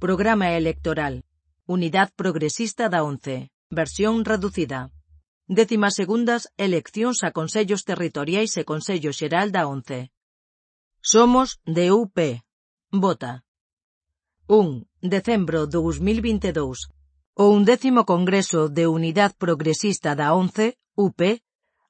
Programa electoral. Unidade Progresista da ONCE. Versión reducida. 12ª eleccións a Consellos Territoriais e Consello Xeral da ONCE. Somos de UP. Vota. 1. Decembro 2022. O 11º Congreso de Unidade Progresista da ONCE, UP,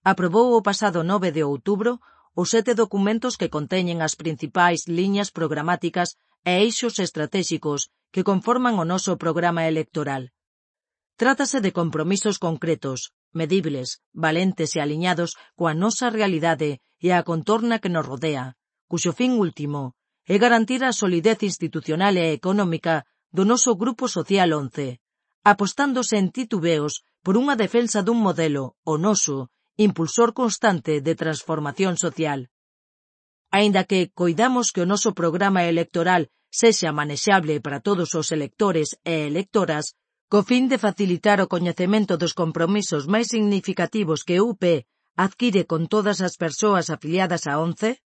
aprobou o pasado 9 de outubro os 7 documentos que conteñen as principais liñas programáticas e eixos estratéxicos que conforman o noso programa electoral. Trátase de compromisos concretos, medibles, valentes e aliñados coa nosa realidade e a contorna que nos rodea, cuxo fin último é garantir a solidez institucional e económica do noso Grupo Social 11, apostando sen titubeos por unha defensa dun modelo, o noso, impulsor constante de transformación social. Aínda que coidamos que o noso programa electoral sexa manexable para todos os electores e electoras, co fin de facilitar o coñecemento dos compromisos máis significativos que UP adquire con todas as persoas afiliadas a ONCE,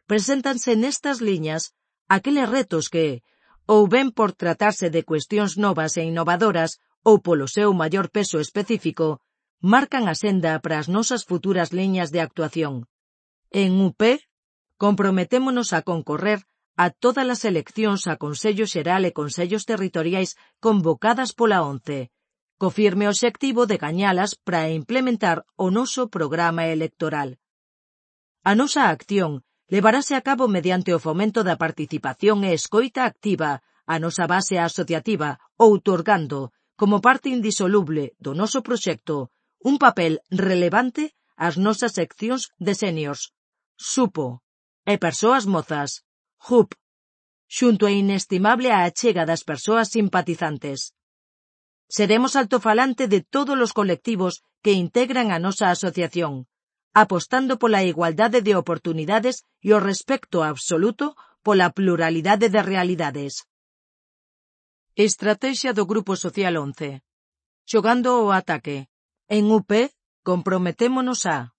preséntanse nestas liñas aqueles retos que, ou ben por tratarse de cuestións novas e innovadoras, ou polo seu maior peso específico, marcan a senda para as nosas futuras liñas de actuación. En UP, comprometémonos a concorrer a todas as eleccións a Consello Xeral e Consellos Territoriais convocadas pola ONCE, co firme obxectivo de gañalas para implementar o noso programa electoral. A nosa acción levarase a cabo mediante o fomento da participación e escoita activa a nosa base asociativa, outorgando, como parte indisoluble do noso proxecto, un papel relevante ás nosas seccións de seniors, SUPO, e persoas mozas, JUP, xunto a inestimable a achega das persoas simpatizantes. Seremos altofalante de todos os colectivos que integran a nosa asociación, apostando pola igualdade de oportunidades e o respecto absoluto pola pluralidade de realidades. Estrategia do Grupo Social 11. Xogando o ataque. En UP, comprometémonos a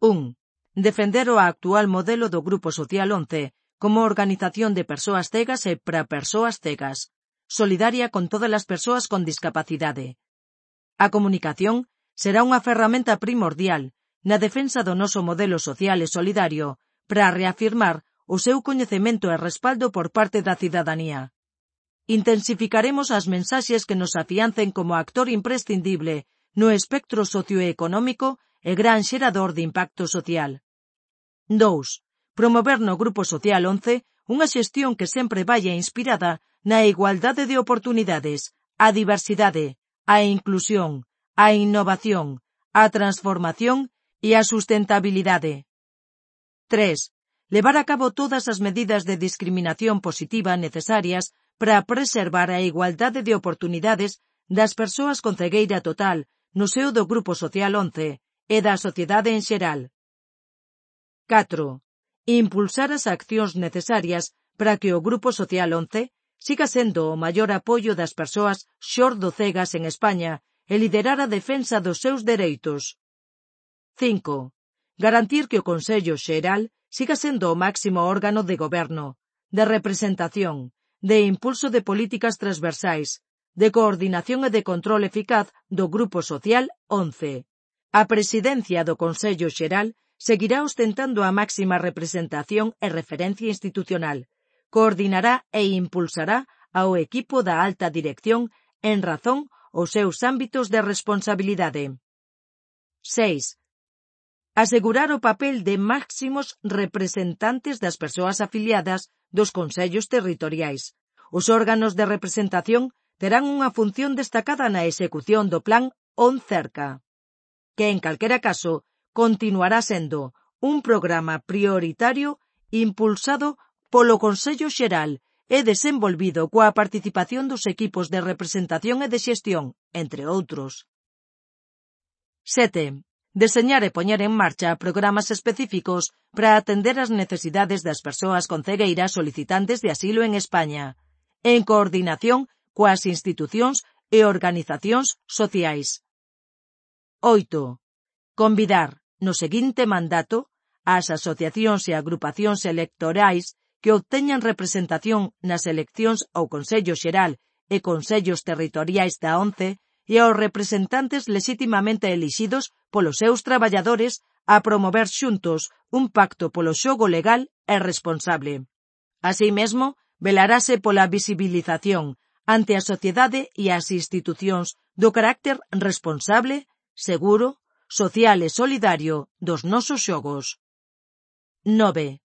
1. Defender o actual modelo do Grupo Social 11 como organización de persoas cegas e para persoas cegas, solidaria con todas as persoas con discapacidade. A comunicación será unha ferramenta primordial na defensa do noso modelo social e solidario para reafirmar o seu coñecemento e respaldo por parte da cidadanía. Intensificaremos as mensaxes que nos afiancen como actor imprescindible no espectro socioeconómico e gran xerador de impacto social. 2. Promover no Grupo Social 11 unha xestión que sempre vaia inspirada na igualdade de oportunidades, a diversidade, a inclusión, a innovación, a transformación e a sustentabilidade. 3. Levar a cabo todas as medidas de discriminación positiva necesarias para preservar a igualdade de oportunidades das persoas con cegueira total no seo do Grupo Social 11 e da sociedade en xeral. 4. Impulsar as accións necesarias para que o Grupo Social 11 siga sendo o maior apoio das persoas xordocegas en España e liderar a defensa dos seus dereitos. 5. Garantir que o Consello Xeral siga sendo o máximo órgano de goberno, de representación, de impulso de políticas transversais, de coordinación e de control eficaz do Grupo Social 11. A presidencia do Consello Xeral seguirá ostentando a máxima representación e referencia institucional, coordinará e impulsará ao equipo da alta dirección en razón aos seus ámbitos de responsabilidade. 6. Asegurar o papel de máximos representantes das persoas afiliadas dos consellos territoriais. Os órganos de representación terán unha función destacada na execución do plan ONCERCA, que en calquera caso continuará sendo un programa prioritario impulsado polo Consello Xeral e desenvolvido coa participación dos equipos de representación e de xestión, entre outros. 7. Deseñar e poñer en marcha programas específicos para atender as necesidades das persoas con cegueira solicitantes de asilo en España, en coordinación coas institucións e organizacións sociais. 8. Convidar, no seguinte mandato, ás asociacións e agrupacións electorais que obteñan representación nas eleccións ao Consello Xeral e Consellos Territoriais da ONCE e aos representantes lexitimamente elixidos polos seus traballadores a promover xuntos un pacto polo xogo legal e responsable. Así mesmo, velarase pola visibilización ante a sociedade e as institucións do carácter responsable, seguro, social e solidario dos nosos xogos. 9.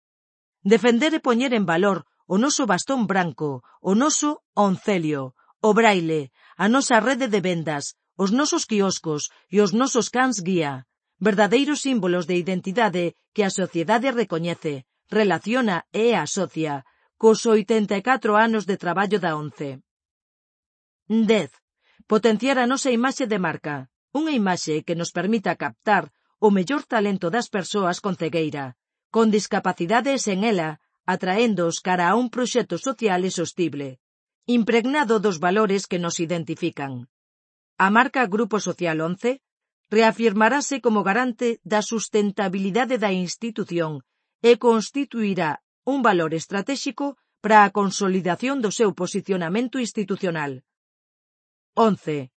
Defender e poñer en valor o noso bastón branco, o noso oncelio, o braille, a nosa rede de vendas, os nosos quioscos e os nosos cans guía, verdadeiros símbolos de identidade que a sociedade recoñece, relaciona e asocia cos 84 anos de traballo da ONCE. 10. Potenciar a nosa imaxe de marca, unha imaxe que nos permita captar o mellor talento das persoas con cegueira, con discapacidade e sen ela, atraéndoos cara a un proxecto social e sostible, impregnado dos valores que nos identifican. A marca Grupo Social ONCE reafirmarase como garante da sustentabilidade da institución e constituirá un valor estratéxico para a consolidación do seu posicionamento institucional. 11.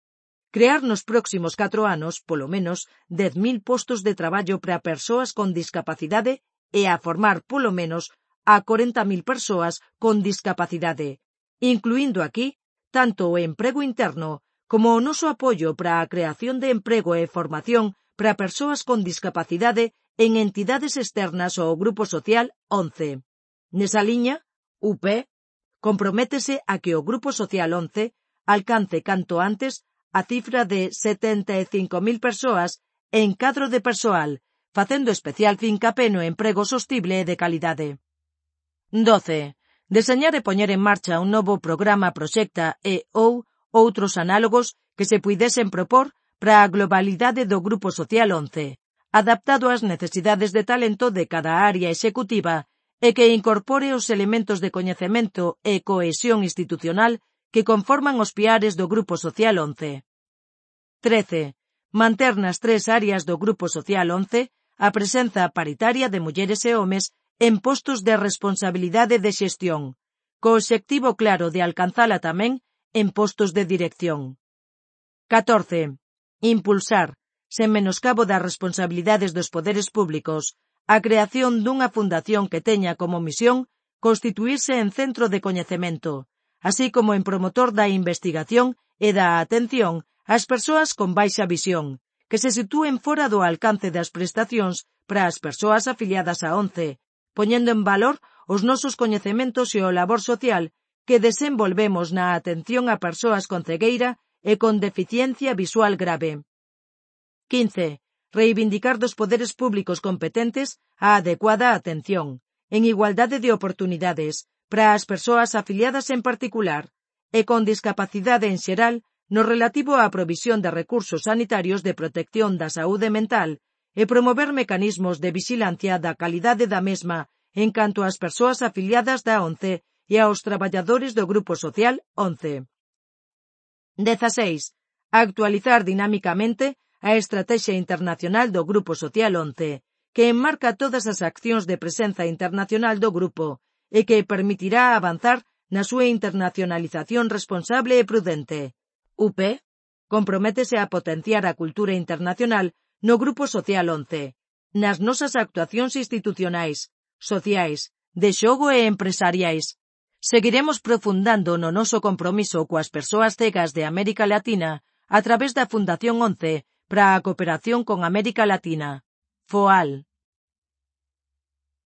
Crear nos próximos 4 anos, polo menos, 10.000 postos de traballo para persoas con discapacidade e a formar, polo menos, a 40.000 persoas con discapacidade, incluindo aquí tanto o emprego interno como o noso apoio para a creación de emprego e formación para persoas con discapacidade en entidades externas ao Grupo Social ONCE. Nesa liña, UP comprométese a que o Grupo Social ONCE alcance canto antes a cifra de 75.000 persoas en cadro de persoal, facendo especial fincapé no emprego sostible e de calidade. 12. Deseñar e poñer en marcha un novo programa proxecta e ou outros análogos que se puidesen propor para a globalidade do Grupo Social ONCE, adaptado ás necesidades de talento de cada área executiva e que incorpore os elementos de coñecemento e cohesión institucional que conforman os piares do Grupo Social ONCE. 13. Manter nas 3 áreas do Grupo Social ONCE a presenza paritaria de mulleres e homes en postos de responsabilidade de xestión, co obxectivo claro de alcanzala tamén en postos de dirección. 14. Impulsar, sen menoscabo das responsabilidades dos poderes públicos, a creación dunha fundación que teña como misión constituirse en centro de coñecemento, así como en promotor da investigación e da atención ás persoas con baixa visión, que se sitúen fora do alcance das prestacións para as persoas afiliadas á ONCE, poñendo en valor os nosos coñecementos e o labor social que desenvolvemos na atención a persoas con cegueira e con deficiencia visual grave. 15. Reivindicar dos poderes públicos competentes a adecuada atención, en igualdade de oportunidades, para as persoas afiliadas en particular, e con discapacidade en xeral, no relativo á provisión de recursos sanitarios de protección da saúde mental e promover mecanismos de vixilancia da calidade da mesma en canto ás persoas afiliadas da ONCE e aos traballadores do Grupo Social ONCE. 16. Actualizar dinámicamente a Estrategia Internacional do Grupo Social ONCE, que enmarca todas as accións de presenza internacional do grupo e que permitirá avanzar na súa internacionalización responsable e prudente. UP comprométese a potenciar a cultura internacional no Grupo Social ONCE, nas nosas actuacións institucionais, sociais, de xogo e empresariais. Seguiremos profundando no noso compromiso coas persoas cegas de América Latina a través da Fundación ONCE para a cooperación con América Latina, FOAL.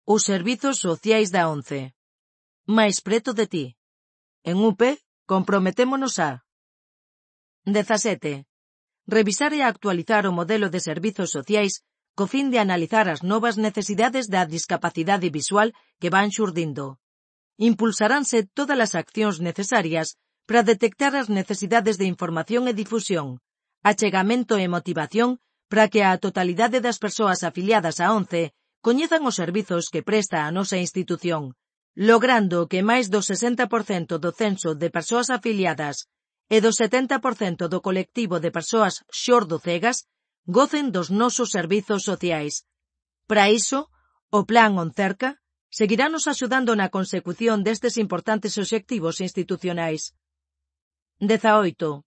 Os servizos sociais da ONCE. Máis preto de ti. En UP, comprometémonos a 17. Revisar e actualizar o modelo de servizos sociais co fin de analizar as novas necesidades da discapacidade visual que van xurdindo. Impulsaránse todas as accións necesarias para detectar as necesidades de información e difusión, achegamento e motivación para que a totalidade das persoas afiliadas á ONCE coñezan os servizos que presta a nosa institución, logrando que máis do 60% do censo de persoas afiliadas e do 70% do colectivo de persoas xordo-cegas gocen dos nosos servizos sociais. Para iso, o Plan ONCERCA seguiranos axudando na consecución destes importantes obxectivos institucionais. 18.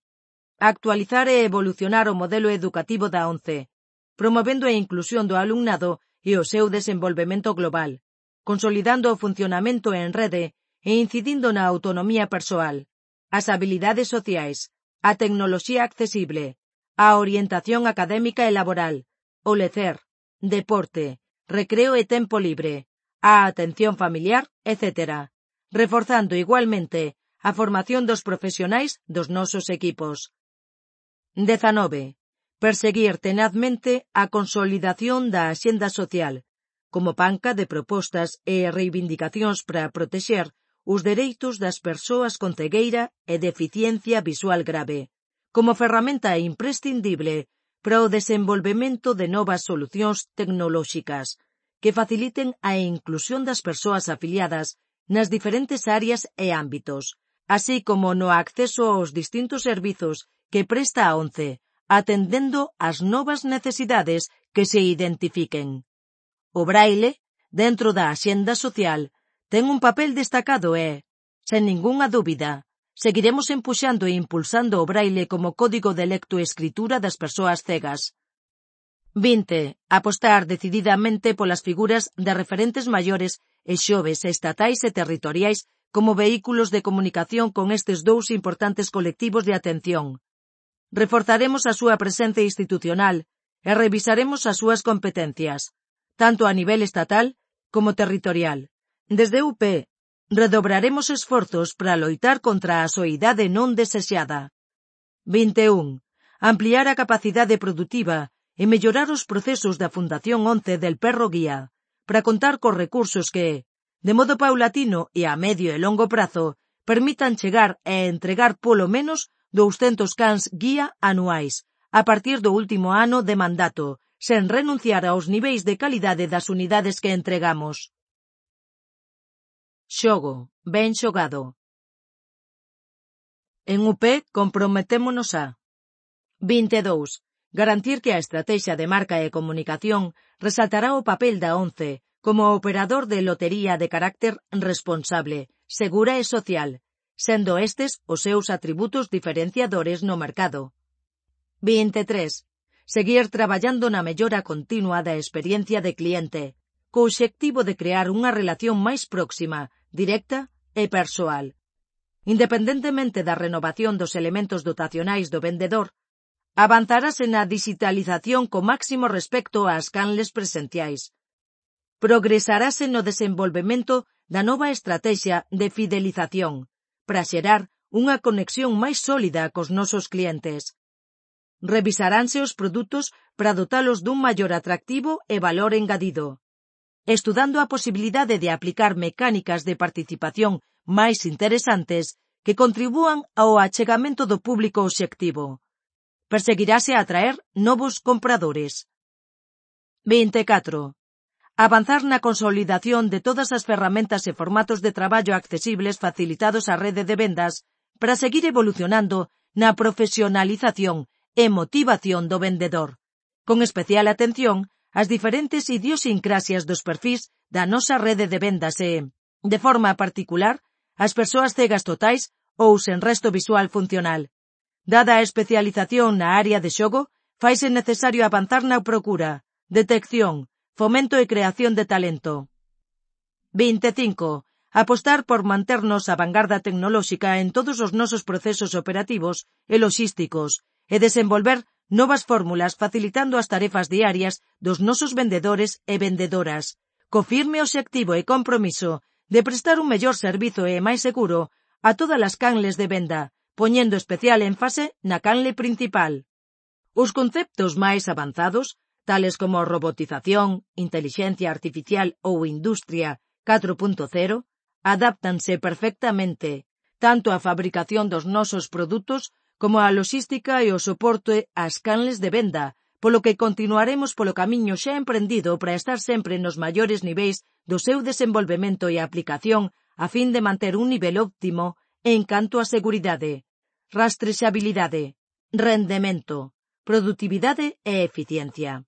Actualizar e evolucionar o modelo educativo da ONCE, promovendo a inclusión do alumnado e o seu desenvolvemento global, consolidando o funcionamento en rede e incidindo na autonomía persoal, as habilidades sociais, a tecnoloxía accesible, a orientación académica e laboral, o lecer, deporte, recreo e tempo libre, a atención familiar, etc., reforzando igualmente a formación dos profesionais dos nosos equipos. 19. Perseguir tenazmente a consolidación da axenda social, como panca de propostas e reivindicacións para protexer os dereitos das persoas con cegueira e deficiencia visual grave, como ferramenta imprescindible para o desenvolvemento de novas solucións tecnolóxicas que faciliten a inclusión das persoas afiliadas nas diferentes áreas e ámbitos, así como no acceso aos distintos servizos que presta a ONCE, atendendo ás novas necesidades que se identifiquen. O braille, dentro da axenda social, ten un papel destacado e, sen ningunha dúbida, seguiremos empuxando e impulsando o braille como código de lectoescritura das persoas cegas. 20. Apostar decididamente polas figuras de referentes maiores e xoves estatais e territoriais como vehículos de comunicación con estes dous importantes colectivos de atención. Reforzaremos a súa presenza institucional e revisaremos as súas competencias, tanto a nivel estatal como territorial. Desde UP, redobraremos esforzos para loitar contra a soidade non desexada. 21. Ampliar a capacidade produtiva e mellorar os procesos da Fundación ONCE del Perro Guía, para contar cos recursos que, de modo paulatino e a medio e longo prazo, permitan chegar e entregar polo menos 200 cans guía anuais, a partir do último ano de mandato, sen renunciar aos niveis de calidade das unidades que entregamos. Xogo, ben xogado. En UP comprometémonos a 22. Garantir que a estrategia de marca e comunicación resaltará o papel da ONCE como operador de lotería de carácter responsable, segura e social, sendo estes os seus atributos diferenciadores no mercado. 23. Seguir traballando na mellora continua da experiencia de cliente, co obxectivo de crear unha relación máis próxima, directa e persoal. Independentemente da renovación dos elementos dotacionais do vendedor, avanzarase na digitalización co máximo respecto ás canles presenciais. Progresarase no desenvolvemento da nova estrategia de fidelización, para xerar unha conexión máis sólida cos nosos clientes. Revisaránse os produtos para dotalos dun maior atractivo e valor engadido, estudando a posibilidade de aplicar mecánicas de participación máis interesantes que contribúan ao achegamento do público obxectivo. Perseguirase a atraer novos compradores. 24. Avanzar na consolidación de todas as ferramentas e formatos de traballo accesibles facilitados á rede de vendas para seguir evolucionando na profesionalización e motivación do vendedor, con especial atención ás diferentes idiosincrasias dos perfís da nosa rede de vendas e, de forma particular, ás persoas cegas totais ou sen resto visual funcional. Dada a especialización na área de xogo, faise necesario avanzar na procura, detección, fomento e creación de talento. 25. Apostar por manternos a vanguarda tecnolóxica en todos os nosos procesos operativos e loxísticos e desenvolver novas fórmulas facilitando as tarefas diarias dos nosos vendedores e vendedoras, co firme obxectivo e compromiso de prestar un mellor servizo e máis seguro a todas as canles de venda, poñendo especial énfase na canle principal. Os conceptos máis avanzados, tales como robotización, intelixencia artificial ou industria 4.0, adáptanse perfectamente tanto á fabricación dos nosos produtos como á loxística e o soporte ás canles de venda, polo que continuaremos polo camiño xa emprendido para estar sempre nos maiores niveis do seu desenvolvemento e aplicación a fin de manter un nivel óptimo en canto a seguridade, rastrexabilidade, rendemento, produtividade e eficiencia.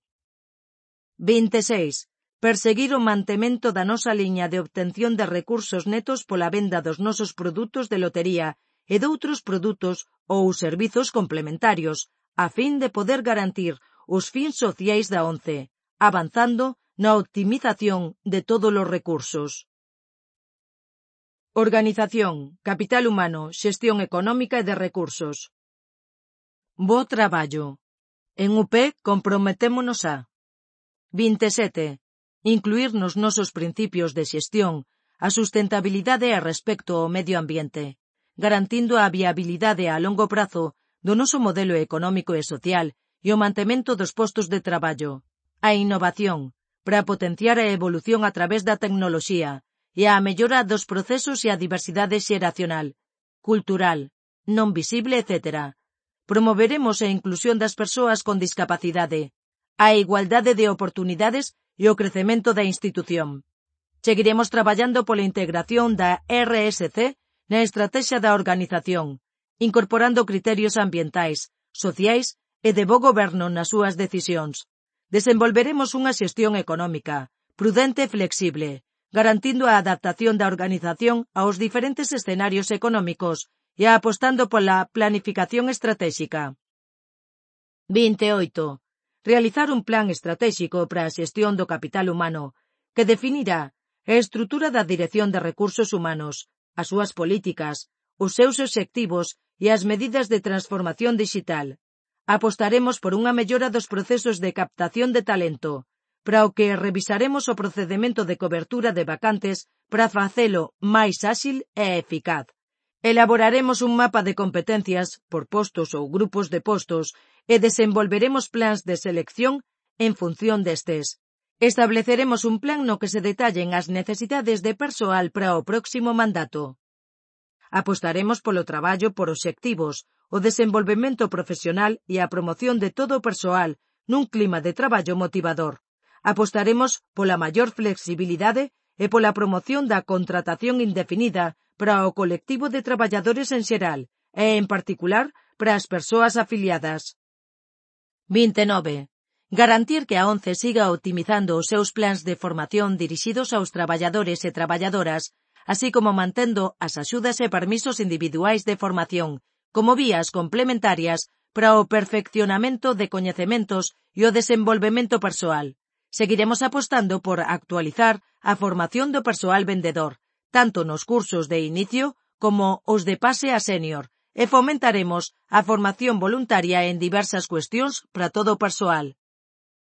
26. perseguir o mantemento da nosa liña de obtención de recursos netos pola venda dos nosos produtos de lotería e doutros produtos ou servizos complementarios, a fin de poder garantir os fins sociais da ONCE, avanzando na optimización de todos os recursos. Organización, capital humano, xestión económica e de recursos. Bo traballo. En UP comprometémonos a 27. Incluir nos nosos principios de xestión a sustentabilidade e respecto ao medio ambiente, garantindo a viabilidade a longo prazo do noso modelo económico e social e o mantemento dos postos de traballo, a innovación, para potenciar a evolución a través da tecnoloxía e a mellora dos procesos e a diversidade xeracional, cultural, non visible, etc. Promoveremos a inclusión das persoas con discapacidade, a igualdade de oportunidades e o crecemento da institución. Seguiremos traballando pola integración da RSC na estrategia da organización, incorporando criterios ambientais, sociais e de bo goberno nas súas decisións. Desenvolveremos unha xestión económica, prudente e flexible, garantindo a adaptación da organización aos diferentes escenarios económicos e apostando pola planificación estratégica. 28. Realizar un plan estratégico para a xestión do capital humano, que definirá a estrutura da Dirección de Recursos Humanos, as súas políticas, os seus obxectivos e as medidas de transformación digital. Apostaremos por unha mellora dos procesos de captación de talento, para o que revisaremos o procedemento de cobertura de vacantes para facelo máis áxil e eficaz. Elaboraremos un mapa de competencias por postos ou grupos de postos e desenvolveremos plans de selección en función destes. Estableceremos un plan no que se detallen as necesidades de persoal para o próximo mandato. Apostaremos polo traballo por obxectivos, o desenvolvemento profesional e a promoción de todo o persoal nun clima de traballo motivador. Apostaremos pola maior flexibilidade e pola promoción da contratación indefinida para o colectivo de traballadores en xeral e, en particular, para as persoas afiliadas. 29. Garantir que a ONCE siga optimizando os seus plans de formación dirixidos aos traballadores e traballadoras, así como mantendo as axudas e permisos individuais de formación como vías complementarias para o perfeccionamento de coñecementos e o desenvolvemento persoal. Seguiremos apostando por actualizar a formación do persoal vendedor, tanto nos cursos de inicio como os de pase a sénior, e fomentaremos a formación voluntaria en diversas cuestións para todo o persoal.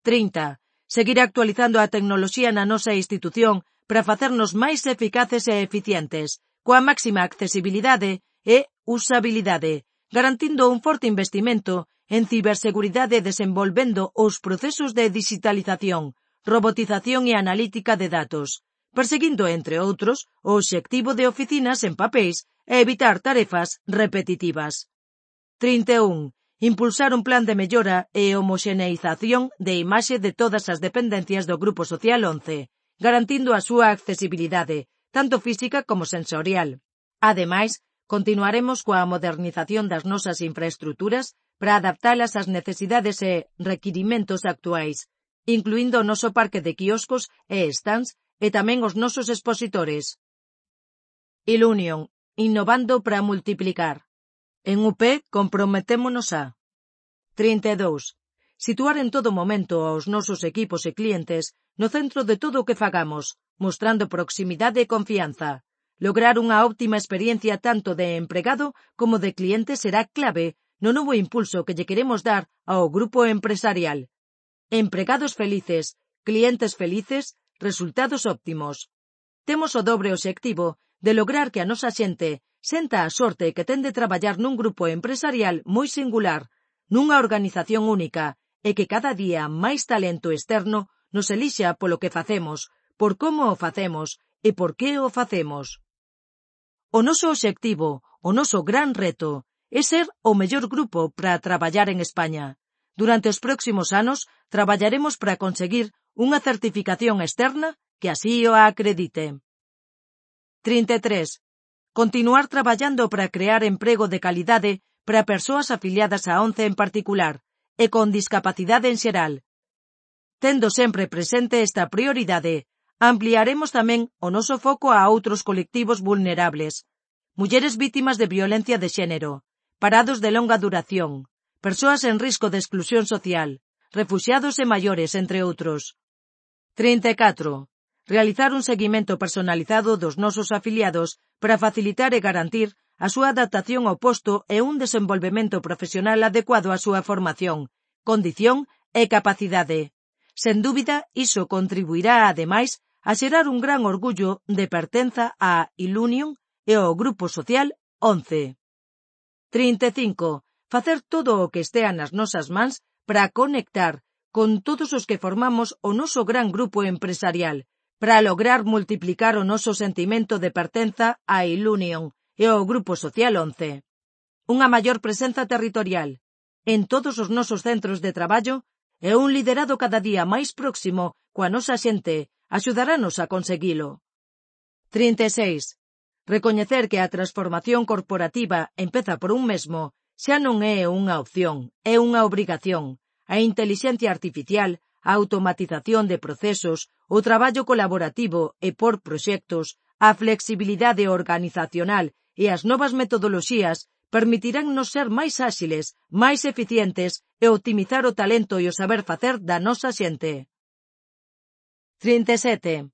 30. Seguir actualizando a tecnoloxía na nosa institución para facernos máis eficaces e eficientes, coa máxima accesibilidade e usabilidade, garantindo un forte investimento en ciberseguridade e desenvolvendo os procesos de digitalización, robotización e analítica de datos, perseguindo, entre outros, o obxectivo de oficinas en papéis e evitar tarefas repetitivas. 31. Impulsar un plan de mellora e homoxeneización de imaxe de todas as dependencias do Grupo Social 11, garantindo a súa accesibilidade, tanto física como sensorial. Ademais, continuaremos coa modernización das nosas infraestruturas para adaptalas ás necesidades e requirimentos actuais, incluindo o noso parque de quioscos e stands e tamén os nosos expositores. Ilunion, innovando para multiplicar. En UP comprometémonos a 32. Situar en todo momento aos nosos equipos e clientes no centro de todo o que fagamos, mostrando proximidade e confianza. Lograr unha óptima experiencia tanto de empregado como de cliente será clave no novo impulso que lle queremos dar ao grupo empresarial. Empregados felices, clientes felices, resultados óptimos. Temos o dobre obxectivo de lograr que a nosa xente senta a sorte que ten de traballar nun grupo empresarial moi singular, nunha organización única, e que cada día máis talento externo nos elixa polo que facemos, por como o facemos e por que o facemos. O noso obxectivo, o noso gran reto, é ser o mellor grupo para traballar en España. Durante os próximos anos, traballaremos para conseguir unha certificación externa que así o acredite. 33. Continuar traballando para crear emprego de calidade para persoas afiliadas a ONCE en particular e con discapacidade en xeral. Tendo sempre presente esta prioridade, ampliaremos tamén o noso foco a outros colectivos vulnerables. Mulleres vítimas de violencia de xénero, parados de longa duración, persoas en risco de exclusión social, refuxiados e maiores, entre outros. 34. Realizar un seguimento personalizado dos nosos afiliados para facilitar e garantir a súa adaptación ao posto e un desenvolvemento profesional adecuado á súa formación, condición e capacidade. Sen dúbida, iso contribuirá, ademais, a xerar un gran orgullo de pertenza á Ilunion e ao Grupo Social 11. 35. Facer todo o que estea nas nosas mans para conectar con todos os que formamos o noso gran grupo empresarial, para lograr multiplicar o noso sentimento de pertenza á Ilunion e ao Grupo Social 11. Unha maior presenza territorial en todos os nosos centros de traballo e un liderado cada día máis próximo coa nosa xente axudarános a conseguilo. 36. Recoñecer que a transformación corporativa empeza por un mesmo xa non é unha opción, é unha obrigación. A intelixencia artificial, a automatización de procesos, o traballo colaborativo e por proxectos, a flexibilidade organizacional e as novas metodoloxías permitiránnos ser máis áxiles, máis eficientes e optimizar o talento e o saber facer da nosa xente. 37.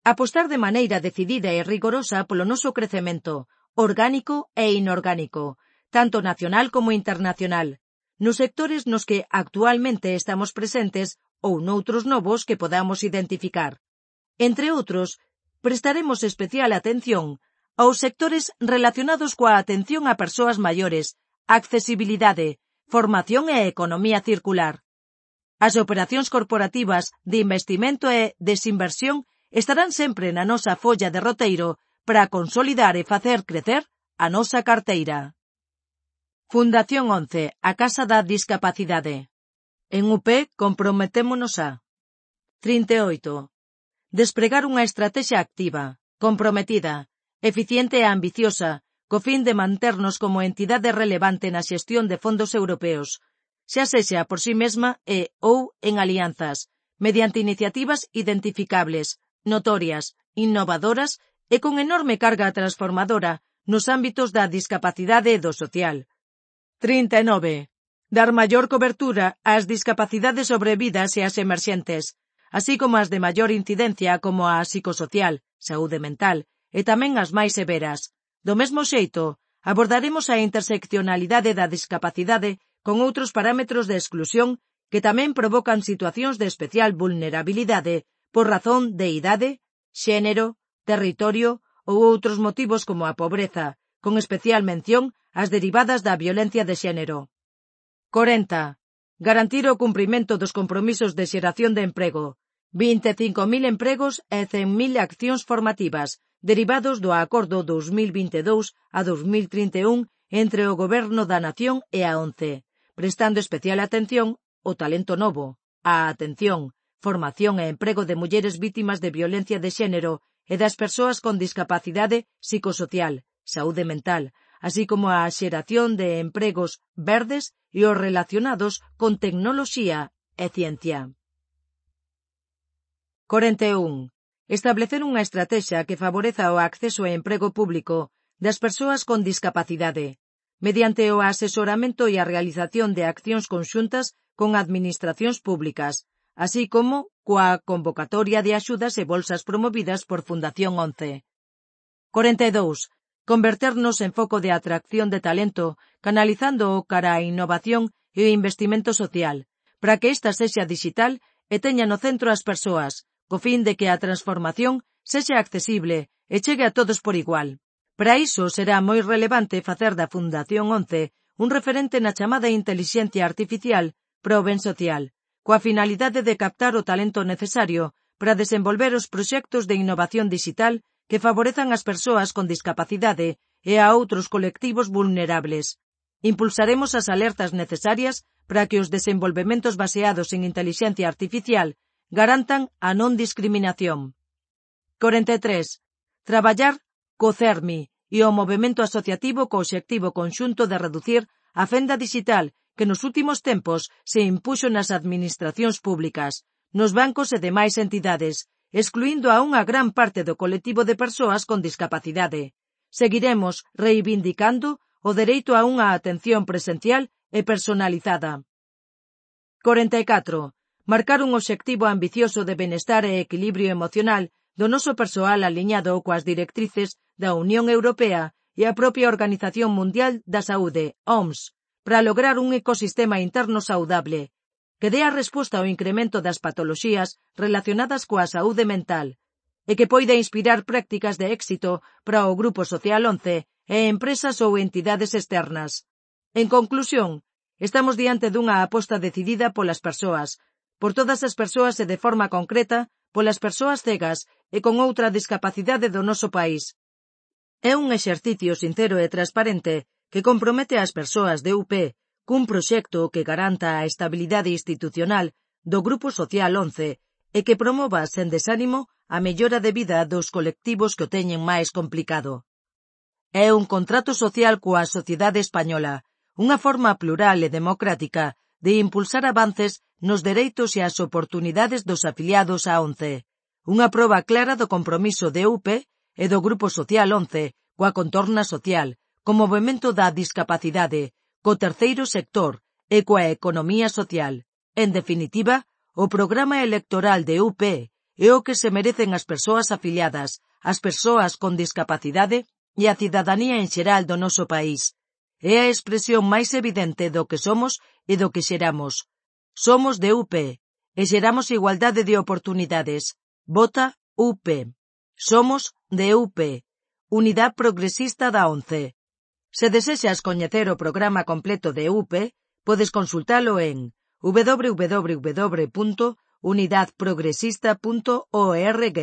Apostar de maneira decidida e rigorosa polo noso crecemento, orgánico e inorgánico, tanto nacional como internacional, nos sectores nos que actualmente estamos presentes ou noutros novos que podamos identificar. Entre outros, prestaremos especial atención aos sectores relacionados coa atención a persoas maiores, accesibilidade, formación e economía circular. As operacións corporativas de investimento e desinversión estarán sempre na nosa folla de roteiro para consolidar e facer crecer a nosa carteira. Fundación 11, a Casa da Discapacidade. En UP comprometémonos a 38. Despregar unha estrategia activa, comprometida, eficiente e ambiciosa, co fin de manternos como entidade relevante na xestión de fondos europeos, xa sexa por sí mesma e ou en alianzas, mediante iniciativas identificables, notorias, innovadoras e con enorme carga transformadora nos ámbitos da discapacidade e do social. 39. Dar maior cobertura ás discapacidades sobrevidas e ás emerxentes, así como as de maior incidencia como a psicosocial, saúde mental, e tamén as máis severas. Do mesmo xeito, abordaremos a interseccionalidade da discapacidade con outros parámetros de exclusión que tamén provocan situacións de especial vulnerabilidade por razón de idade, xénero, territorio ou outros motivos como a pobreza, con especial mención ás derivadas da violencia de xénero. 40. Garantir o cumprimento dos compromisos de xeración de emprego, 25.000 empregos e 100.000 accións formativas, derivados do Acordo 2022 a 2031 entre o Goberno da Nación e a ONCE, prestando especial atención ao talento novo, á atención, formación e emprego de mulleres vítimas de violencia de xénero e das persoas con discapacidade psicosocial, saúde mental, así como a xeración de empregos verdes e os relacionados con tecnoloxía e ciencia. 41. Establecer unha estratexa que favoreza o acceso e emprego público das persoas con discapacidade, mediante o asesoramento e a realización de accións conxuntas con administracións públicas, así como coa convocatoria de axudas e bolsas promovidas por Fundación 11. 42. Converternos en foco de atracción de talento, canalizando cara a innovación e o investimento social, para que esta sexa digital e teña no centro as persoas, co fin de que a transformación sexa accesible e chegue a todos por igual. Para iso será moi relevante facer da Fundación 11 un referente na chamada intelixencia artificial para o ben social, coa finalidade de captar o talento necesario para desenvolver os proxectos de innovación digital que favorezan as persoas con discapacidade e a outros colectivos vulnerables. Impulsaremos as alertas necesarias para que os desenvolvementos baseados en intelixencia artificial garantan a non discriminación. 43. Traballar co CERMI e o movemento asociativo co obxectivo conxunto de reducir a fenda digital que nos últimos tempos se impuxo nas administracións públicas, nos bancos e demais entidades, excluindo a unha gran parte do colectivo de persoas con discapacidade. Seguiremos reivindicando o dereito a unha atención presencial e personalizada. 44. Marcar un obxectivo ambicioso de benestar e equilibrio emocional do noso persoal aliñado coas directrices da Unión Europea e a propia Organización Mundial da Saúde, OMS, para lograr un ecosistema interno saudable, que dé a resposta ao incremento das patoloxías relacionadas coa saúde mental, e que poida inspirar prácticas de éxito para o Grupo Social 11 e empresas ou entidades externas. En conclusión, estamos diante dunha aposta decidida polas persoas, por todas as persoas e de forma concreta polas persoas cegas e con outra discapacidade do noso país. É un exercicio sincero e transparente que compromete ás persoas de UP cun proxecto que garanta a estabilidade institucional do Grupo Social 11 e que promova sen desánimo a mellora de vida dos colectivos que o teñen máis complicado. É un contrato social coa sociedade española, unha forma plural e democrática de impulsar avances nos dereitos e as oportunidades dos afiliados a 11, unha proba clara do compromiso de UP e do Grupo Social 11 coa contorna social, co movemento da discapacidade, co terceiro sector e coa economía social. En definitiva, o programa electoral de UP é o que se merecen as persoas afiliadas, as persoas con discapacidade e a cidadanía en xeral do noso país. É a expresión máis evidente do que somos e do que xeramos. Somos de UP e xeramos igualdade de oportunidades. Vota UP. Somos de UP. Unidade Progresista da 11. Se desexas coñecer o programa completo de UP, podes consultalo en www.unidadeprogresista.org.